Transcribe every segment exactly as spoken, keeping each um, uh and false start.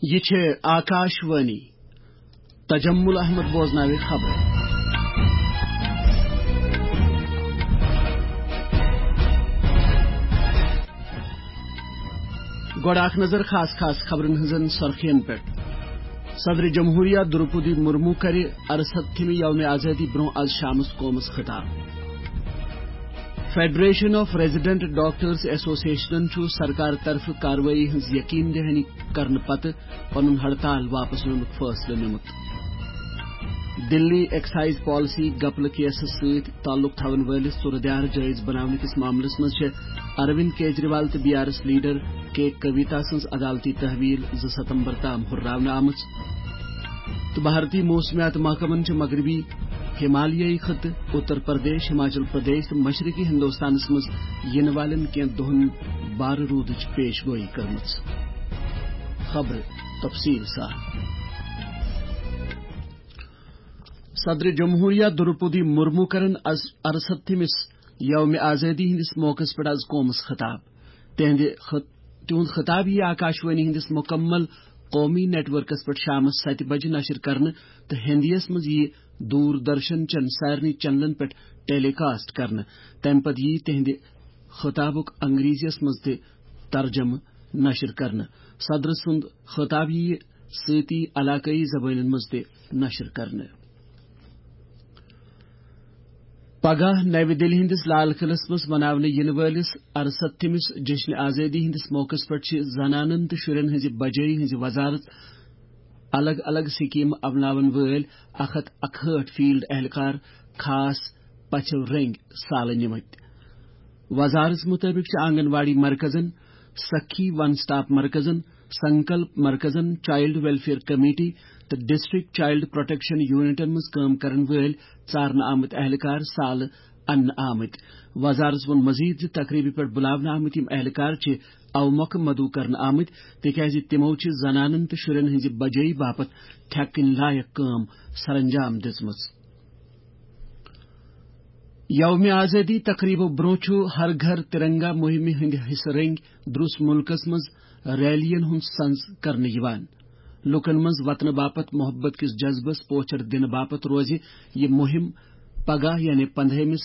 یہِ چھِ آکاش وانی۔ تجمل احمد بوزناوِ خبرٕ۔ گۄڈٕ اکھ نظر خاص خاص خبرن ہٕنٛزن سرخین پٮ۪ٹھ۔ صدر جمہوریہ درپدی مرمو کرِ ارستھمہِ یوم آزادی برونٛہہ از شامس قومس خطاب۔ فیڈریشن آف ریزیڈنٹ ڈاکٹرز ایسوسیشنن چھُ سرکار طرفہٕ کاروٲیی ہٕنٛز یقین دہانی کرنہٕ پتہٕ پنُن ہڑتال واپس نِنُک فٲصلہٕ نیومُت۔ دِلی ایکسائز پالیسی گپلہٕ کیسَس سۭتۍ تعلق تھاون وٲلِس صورتحال جٲیز بناونہٕ کِس معاملس منٛز چھِ اروند کیجریوال تہٕ بی آر ایس لیڈر کے کویتا سٕنٛز عدالتی تحویل زٕ ستمبر تام ہُرراونہٕ آمٕژ۔ تہٕ بھارتی موسمیات محکمن چھِ مغربی ہمالیائی خطہٕ، اتر پردیش، ہماچل پردیش تہٕ مشرقی ہندوستانس منٛز یِنہٕ والٮ۪ن کینٛہہ دۄہن بارٕ روٗدٕچ پیش گویی کٔرمٕژ۔ خبرٕ تفصیل سان۔ صدر جمہوریہ درپدی مرمو کرن از ارستھمس یوم آزادی ہندس موقعس پٮ۪ٹھ از قومس خطاب۔ تہنٛدِ خط-، تِہُنٛد خطاب یِیہِ آکاشوانی ہندس مکمل قومی نیٹ ورکس پٮ۪ٹھ شامس ستہِ بجہِ نشر کرنہٕ تہٕ ہندیس منٛز یِیہِ دوردرشن چٮ۪ن سارنٕے چینلن پٮ۪ٹھ ٹیلی کاسٹ کرنہٕ۔ تمہِ پتہٕ یِیہِ تِہنٛدِ خطابُک انگریزیس منٛز تہِ ترجمہٕ نشر کرنہٕ۔ صدر سُنٛد خطاب یِیہِ سۭتی علاقٲیی زبٲنٮ۪ن منٛز تہِ نشر کرنہٕ۔ پگاہ نَوِ دِلہِ ہٕنٛدِس لال قلعس منٛز مناونہٕ یِنہٕ وٲلِس ارستھمِس جشن آزٲدی ہٕنٛدِس موقعس پٮ۪ٹھ چھِ زنانن تہٕ شُرٮ۪ن ہٕنٛزِ بجٲیی ہٕنٛزِ وزارت الگ الگ سکیمہٕ اپناون وٲلۍ اکھ ہتھ اکہٲٹھ فیلڈ اہلکار خاص پژھیو رٔنگۍ سالہٕ نِمٕتۍ۔ وزارت مطٲبق چھِ آنگن واڑی مرکزن، سخی ون سٹاپ مرکزن، سنکلپ مرکزن، چائلڈ ویلفیئر کمیٹی تہٕ ڈسٹرکٹ چائلڈ پروٹیکشن یونٹن منٛز کٲم کرن وٲلۍ ژارنہٕ آمٕتۍ اہلکار سالہٕ اننہٕ آمٕتۍ۔ وزارت ووٚن مزید زِ تقریبہِ پٮ۪ٹھ بُلاونہٕ آمٕتۍ یِم اہلکار چھِ اوٕ مۄکھٕ مدعو کرنہٕ آمٕتۍ، تِکیازِ تِمو چھِ زنانن تہٕ شُرٮ۪ن ہٕنٛزِ بجٲیی باپتھ تھٮ۪کہٕ کٕنۍ لایق کٲم سرانجام دِژمٕژ۔ یوم آزادی تقریبو برونٛہہ چھُ ہر گھر ترنگا مہمہِ ہٕنٛدِ حصہٕ رٔنگۍ درٛس مُلکس منٛز ریلیَن ہُنٛد سنز کرنہٕ یِوان۔ لوٗکن منٛز وطنہٕ باپتھ محبت کِس جذبس پوچھر دِنہٕ باپتھ روزِ یہِ مُہِم پگاہ یعنی پندہٲیمِس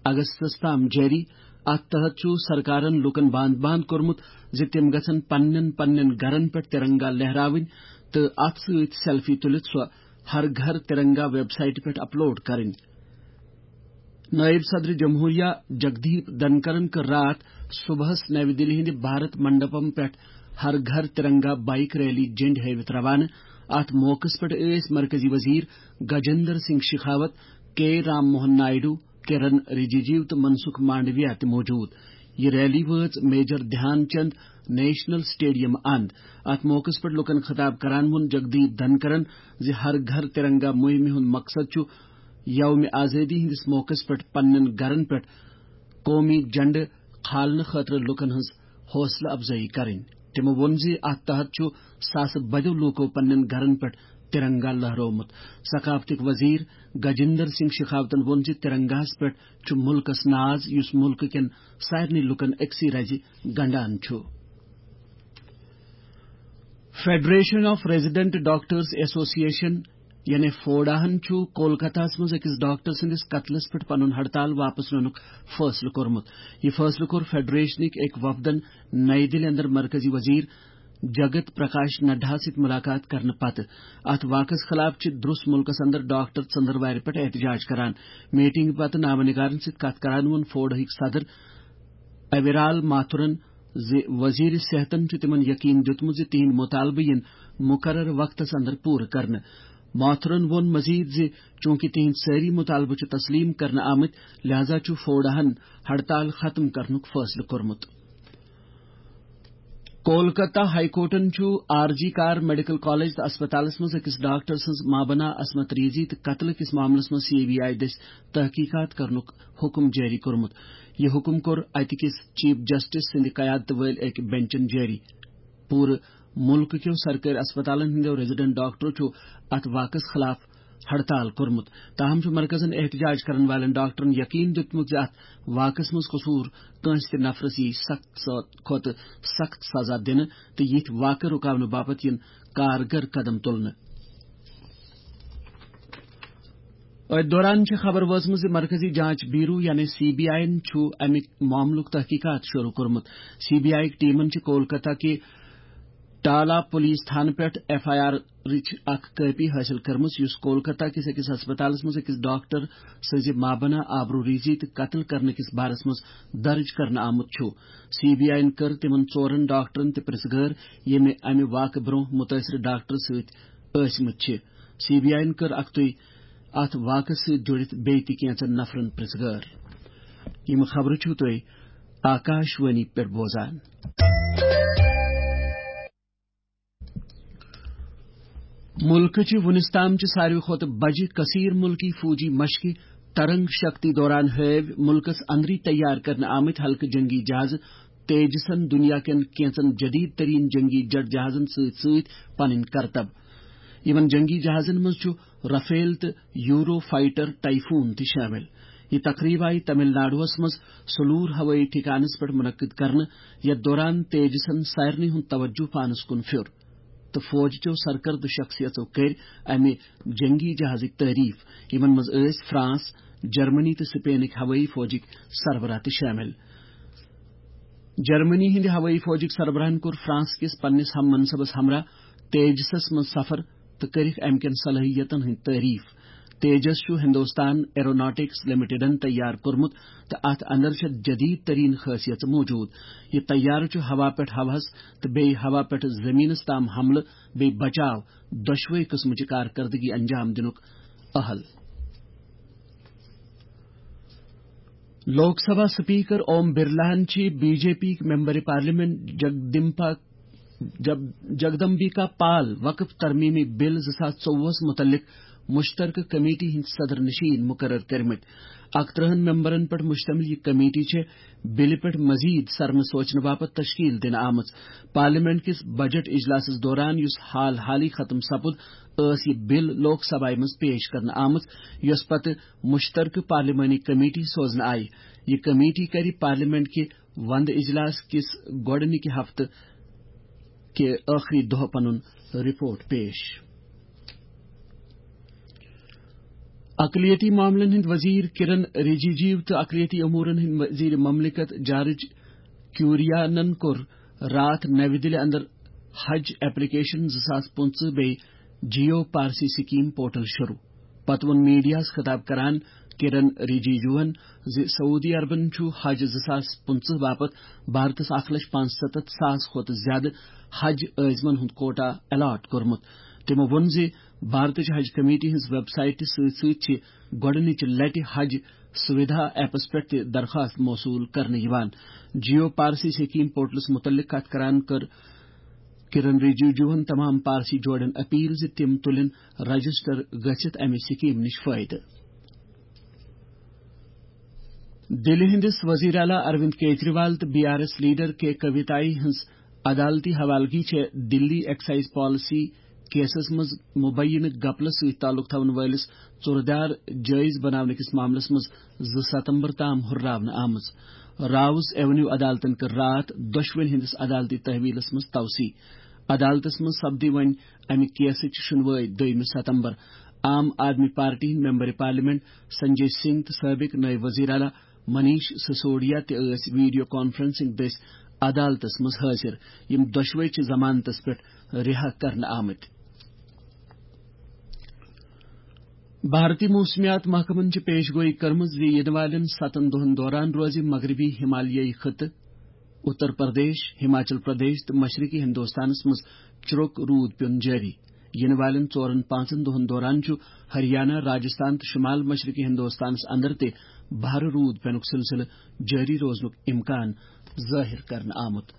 اگستس تام جٲری۔ اتھ تحت چھُ سرکارن لوٗکن باند باند کوٚرمُت زِ تِم گژھن پننٮ۪ن پننٮ۪ن گرن پٮ۪ٹھ ترنگا لہراوٕنۍ تہٕ اتھ سۭتۍ سیلفی تُلِتھ سۄ ہر گھر ترنگا ویب سائٹہِ پٮ۪ٹھ اپلوڈ کرٕنۍ۔ نائب صدر جمہوریہ جگدیپ دھنکرن کٔر راتھ صبحس نَوِ دِلہِ ہٕنٛدِ بھارت منڈپم پٮ۪ٹھ ہر گھر ترنگا بائیک ریلی جنڈ ہٲوِتھ روانہٕ۔ اتھ موقعس پٮ۪ٹھ ٲسۍ مرکزی وزیر گجندر سنگھ شیخاوت، کے رام موہن نائیڈو، کرن رجیجو تہٕ منسکھ مانڈویا تہِ موجود۔ یہِ ریلی وٲژ میجر دھیان چند نیشنل سٹیڈیم اند۔ اتھ موقعس پٮ۪ٹھ لوٗکن خطاب کران ووٚن جگدیپ دھنکرن زِ ہر گھر ترنگا مہمہِ ہُنٛد مقصد چھُ یوم آزٲدی ہٕنٛدِس موقعس پٮ۪ٹھ پننٮ۪ن گرن پٮ۪ٹھ قومی جنڈٕ کھالنہٕ خٲطرٕ لوٗکن ہٕنٛز حوصلہٕ افزٲیی کرٕنۍ۔ تِمو ووٚن زِ اتھ تحت چھُ ساسہٕ بدیو لوٗکو پننٮ۪ن گرن پٮ۪ٹھ ترنگا لہرومُت۔ ثقافتٕکۍ وزیر گجندر سنگھ شیخاوتن ووٚن زِ ترنگاہس پٮ۪ٹھ چھُ مُلکس ناز، یُس مُلکہٕ کٮ۪ن سارنٕے لوٗکن أکسٕے رزِ گنڈان چھُ۔ Federation of resident doctors association یعنی فوڈاہن چھُ کولکتہس منٛز أکِس ڈاکٹر سٕنٛدِس قتلس پٮ۪ٹھ پنُن ہڑتال واپس نِنُک فٲصلہٕ کوٚرمُت۔ یہِ فٲصلہٕ کوٚر فیڈریشنٕکۍ أکۍ وفدن نئی دِلہِ اندر مرکزی وزیر جگت پرکاش نڈا سۭتۍ ملاقات کرنہٕ پتہٕ۔ اتھ واقعس خلاف چھِ درٛس مُلکس اندر ڈاکٹر ژٔنٛدٕروارِ پٮ۪ٹھ احتجاج کران۔ میٹنگ پتہٕ نامہ نگارن سۭتۍ کتھ کران ووٚن فوڈاہٕکۍ صدر اویرال ماتھرن زِ وزیر صحتن چھُ تِمن یقین دیُتمُت زِ تِہنٛدۍ مطالبہٕ یِن مقرر وقتس اندر پوٗرٕ کرنہٕ۔ ماتھرن ووٚن مزید زِ چونکہ تِہنٛدۍ سٲری مطالبہٕ چھِ تسلیم کرنہٕ آمٕتۍ، لہذا چھُ فوڈاہن ہڑتال ختم کرنُک فٲصلہٕ کوٚرمُت۔ کولکتہ ہائی کورٹن چھُ آر جی کار میڈیکل کالج تہٕ اسپتالس منٛز أکِس ڈاکٹر سٕنٛز مابنا عصمت ریزی تہٕ قتلہٕ کِس معاملس منٛز سی بی آئی دٔسۍ تحقیقات کرنُک حکم جٲری کوٚرمُت۔ یہِ حکم کوٚر اتہِ کِس چیف جسٹس سٕنٛدِ قیادتہٕ وٲلۍ أکۍ بینچن جٲری۔ پوٗرٕ مُلکہٕ کیو سرکٲرۍ اسپتالن ہٕنٛدیو ریزیڈنٹ ڈاکٹرو چھُ اتھ واقعس خلاف ہڑتال کوٚرمُت۔ تاہم چھُ مرکزن احتجاج کرن والٮ۪ن ڈاکٹرن یقین دیُتمُت زِ اتھ واقعس منٛز قصوٗر کٲنٛسہِ تہِ نفرس یی سخت س-، کھۄتہٕ سخت سزا دِنہٕ تہٕ یِتھۍ واقعہٕ رُکاونہٕ باپتھ یِن کارگر قدم تُلنہٕ۔ أتھۍ دوران چھِ خبر وٲژمٕژ زِ مرکزی جانچ بیورو یعنی سی بی آئی یَن چھُ اَمہِ معاملُک تحقیقات شروع کوٚرمُت۔ سی بی آئی ٹیمن چھِ کولکتہ کہِ ٹالا پولیس تھانہٕ پٮ۪ٹھ ایف آئی آرٕچ اکھ کاپی حٲصِل کٔرمٕژ، یُس کولکتہ کِس أکِس ہسپتالَس منٛز أکِس ڈاکٹر سٕنٛزِ مابنہ آبروریزی تہٕ قتل کرنہٕ کِس بارس منٛز درٕج کرنہٕ آمُت چھُ۔ سی بی آئی یَن کٔر تِمَن ژورَن ڈاکٹرَن تہِ پرٛژھ گٲر، ییٚمہِ اَمہِ واقعہٕ برٛونٛہہ مُتٲثرٕ ڈاکٹر سۭتۍ ٲسمٕتۍ چھِ۔ سی بی آئی یَن کٔر اَکھتُے اَتھ واقعہٕ سۭتۍ جُڑِتھ بیٚیہِ تہِ کینٛژَن نفرَن پرٛژھ گٲر۔ یِم خبرٕ چھِو تُہۍ آکاش وانی پٮ۪ٹھ بوزان۔ مُلکٕچہِ وُنِس تام چہِ ساروی کھۄتہٕ بجہِ کثیر مُلکی فوجی مشقہِ ترنگ شکتی دوران ہٲوۍ مُلکَس اندری تیار کرنہٕ آمٕتۍ ہلکہٕ جنگی جہازٕ تیجسن دُنیا کٮ۪ن کینٛژن جدید ترین جنگی جٹ جہازن سۭتۍ سۭتۍ پنٕنۍ کرتب۔ یِمن جنگی جہازن منٛز چھُ رافیل تہٕ یورو فائٹر ٹائفون تہِ شٲمِل۔ یہِ تقریب آیہِ تمل ناڈوَس منٛز سلور ہوٲیی ٹھکانَس پٮ۪ٹھ منعقد کرنہٕ، یَتھ دوران تیجسَن سارنٕے ہُنٛد توجہ پانَس کُن پھیوٚر تہٕ فوج چٮ۪و سرکردٕ شخصیژو کٔرۍ اَمہِ جنگی جہازٕکۍ تعریف، یِمَن منٛز ٲسۍ فرانس، جرمنی تہٕ سپینٕکۍ ہوٲیی فوجٕکۍ سربراہ تہِ شٲمِل۔ جرمنی ہٕنٛدِ ہوٲیی فوجٕکۍ سربراہَن کوٚر فرانس کِس پننِس ہم منصبس ہمراہ تیجسَس منٛز سفر تہٕ کٔرِکھ اَمہِ کٮ۪ن صلٲحیتَن ہٕنٛدۍ تعریف۔ تیجس چھُ ہندوستان ایروناٹکس لمیٹڈن تیار کوٚرمُت تہٕ اَتھ اندر چھےٚ جدید ترین خٲصیژٕ موجود۔ یہِ طیارٕ چھُ ہوا پٮ۪ٹھ ہوہَس تہٕ بیٚیہِ ہوا پٮ۪ٹھ زمینَس تام حملہٕ بیٚیہِ بچاو دۄشوے قٕسمٕچہِ کارکردگی انجام دِنُک اہل۔ لوک سبھا سپیکر اوم برلاہن چھِ B J P member parliament Jagdampa, Jag-, Jagdambika Pal وقف ترمیمی بل زٕ ساس ژوٚوُہس متعلق مشترکہ کمیٹی ہٕنٛدۍ صدر نشین مقرر کٔرمٕتۍ۔ اکترٕہن ممبرن پٮ۪ٹھ مشتمل یہِ کمیٹی چھےٚ بلہِ پٮ۪ٹھ مزید سرنہٕ سوچنہٕ باپتھ تشکیل دِنہٕ آمٕژ۔ پارلیمنٹ کِس بجٹ اجلاسس دوران، یُس حال حالٕے ختم سپُد، ٲس یہِ بل لوک سبھایہ منٛز پیش کرنہٕ آمٕژ، یۄس پتہٕ مشترکہ پارلیمانی کمیٹی سوزنہٕ آیہِ۔ یہِ کمیٹی کرِ پارلیمنٹ کہِ وندٕ اجلاس کِس گۄڈٕنِکہِ ہفتہٕ کہِ ٲخری دۄہ پنُن رپورٹ پیش۔ اقلیتی معاملن ہٕنٛدۍ وزیر کرن رجیجو تہٕ اقلیتی امورن ہٕنٛدۍ وزیر مملکت جارج کیوریانن کوٚر راتھ نَوِ دِلہِ اندر حج ایپلیکیشن زٕ ساس پٕنٛژٕہ بیٚیہِ جیو پارسی سکیم پورٹل شروع۔ پتہٕ ووٚن میڈیاہَس خطاب کران کرن رجیجوَن زِ سعودی عربن چھُ حج زٕ ساس پٕنٛژٕہ باپتھ بھارتس اکھ لچھ پانٛژستتھ ساس کھۄتہٕ زیادٕ حج عٲزمن ہُنٛد کوٹا الاٹ کوٚرمُت۔ تِمو ووٚن زِ بھارتٕچ حج کمیٹی ہٕنٛز ویب سائٹہِ سۭتۍ سۭتۍ چھِ گۄڈٕنِچہِ لٹہِ حج سویدھا ایپس پٮ۪ٹھ تہِ درخواست موصول کرنہٕ یِوان۔ جیو پارسی سکیم پورٹلس متعلق کتھ کران کٔر کرن رجیجوہن تمام پارسی جوڑن اپیل زِ تِم تُلن رجسٹر گٔژھِتھ امہِ سکیم نِش فٲیدٕ۔ دِلہِ ہٕنٛدِس وزیر اعلیٰ اروند کیجریوال تہٕ بی آر ایس لیڈر کے کویتایہ ہٕنٛز عدالتی حوالگی چھےٚ دِلی ایکسائز پالیسی کیسس منٛز مبینہ گپلس سۭتۍ تعلق تھاون وٲلِس ژوٗرٕ دار جٲیز بناونہٕ کِس معاملس منٛز زٕ ستمبر تام ہُرراونہٕ آمٕژ۔ راوس ایونیو عدالتن کٔر راتھ دۄشوٕنی ہٕنٛدِس عدالتی تحویلس منٛز توسیع۔ عدالتس منٛز سپدِ وۄنۍ امہِ کیسٕچ شُنوٲے دوٚیمہِ ستمبر۔ عام آدمی پارٹی ہٕنٛدۍ ممبر پارلیمنٹ سنجے سنگھ تہٕ سٲبق نٲیِب وزیر اعلیٰ منیش سسوڈیا تہِ ٲسۍ ویڈیو کانفرنسنگ دٔسۍ عدالتس منٛز حٲضِر۔ یِم دۄشوے چھِ ضمانتس پٮ۪ٹھ رِہا کرنہٕ آمٕتۍ۔ بھارتی موسمیات محکمن چھِ پیش گویی کٔرمٕژ زِ یِنہٕ والٮ۪ن ستن دۄہن دوران روزِ مغربی ہمالیائی خطہٕ، اتر پردیش، ہماچل پردیش تہٕ مشرقی ہندوستانس منٛز چروٚک روٗد پیُن جٲری۔ یِنہٕ والٮ۪ن ژورن پانٛژن دۄہن دوران چھُ ہریانہ، راجستھان تہٕ شمال مشرقی ہندوستانس اندر تہِ بھرٕ روٗد پینُک سلسلہٕ جٲری روزنُک امکان ظٲہِر کرنہٕ آمُت۔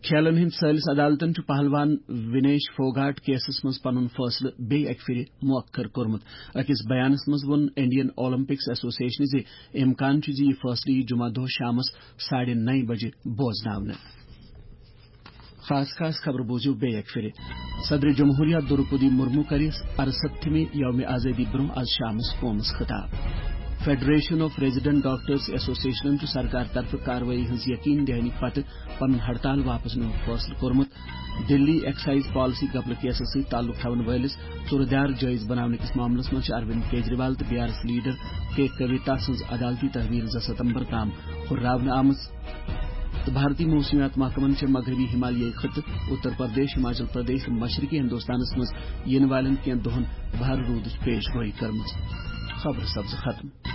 کھیلن ہٕنٛدۍ سٲلِس عدالتن چھُ پہلوان وِنیش فوگاٹ کیسَس منٛز پنُن فٲصلہٕ بیٚیہِ اَکہِ پھِرِ مؤخر کوٚرمُت۔ أکِس بیانَس منٛز ووٚن انڈین اولمپکس ایسوسیشنہِ زِ امکان چھُ زِ یہِ فٲصلہٕ یِیہِ جمعہ دۄہ شامَس ساڑھے نَیہِ بجہِ بوزناونہٕ۔ خاص خاص خبرٕ بوٗزِو بیٚیہِ اَکہِ پھِرِ۔ صدر جمہوریہ دروپدی مرمو کَرِ اَرسَتھمہِ یوم آزادی برٛونٛہہ آز شامَس قومَس خطاب۔ فیڈریشن آف ریزیڈنٹ ڈاکٹرز ایسوسیشنن چھُ سرکار طرفہٕ کاروٲیی ہٕنٛز یقین دہانی پتہٕ پنُن ہڑتال واپس نِنُک فٲصلہٕ کوٚرمُت۔ دِلی ایکسائز پالیسی گپلہٕ کیسس سۭتۍ تعلق تھاون وٲلِس ژُرٕ دیار جٲیز بناونہٕ کِس معاملس منٛز چھِ اروند کیجریوال تہٕ بی آر ایس لیڈر کے کویتا سٕنٛز عدالتی تحویل زٕ ستمبر تام ہُرراونہٕ آمٕژ۔ تہٕ بھارتی موسمیات محکمن چھِ مغربی ہمالیائی خطہٕ، اتر پردیش، ہماچل پردیش تہٕ مشرقی ہندوستانس منٛز یِنہٕ والٮ۪ن کینٛہہ دۄہن بھارٕ روٗدٕچ پیش گویی کٔرمٕژ۔ خبرٕ سپزٕ ختم۔